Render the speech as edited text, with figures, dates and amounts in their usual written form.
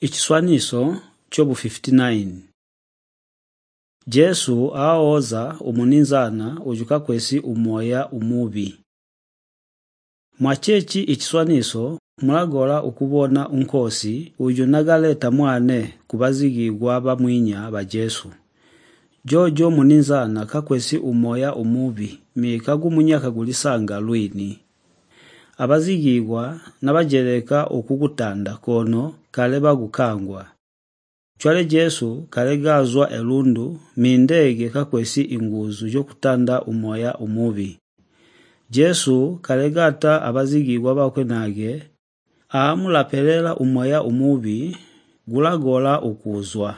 Ichiswaniso chobu 59. Jesu aoza umuninzana ujuka kwesi umoya umubi. Mwachechi ichiswaniso mulagola ukubona unkosi uju nagaleta mwane kubazigigwa bamwinya ba Jesu. Jojo muninzana kakwesi umoya umubi mikagumunyaka gulisanga lwini. Abazigigwa nabajeleka okugutanda kono kale bagukangwa. Chwale Jesu kale gazwa elundu mindege kakwesi inguzu jo kutanda umoya umubi. Jesu kale gata abazigigwa bakwe nage aamulapelela umoya umubi gulagola ukuzwa.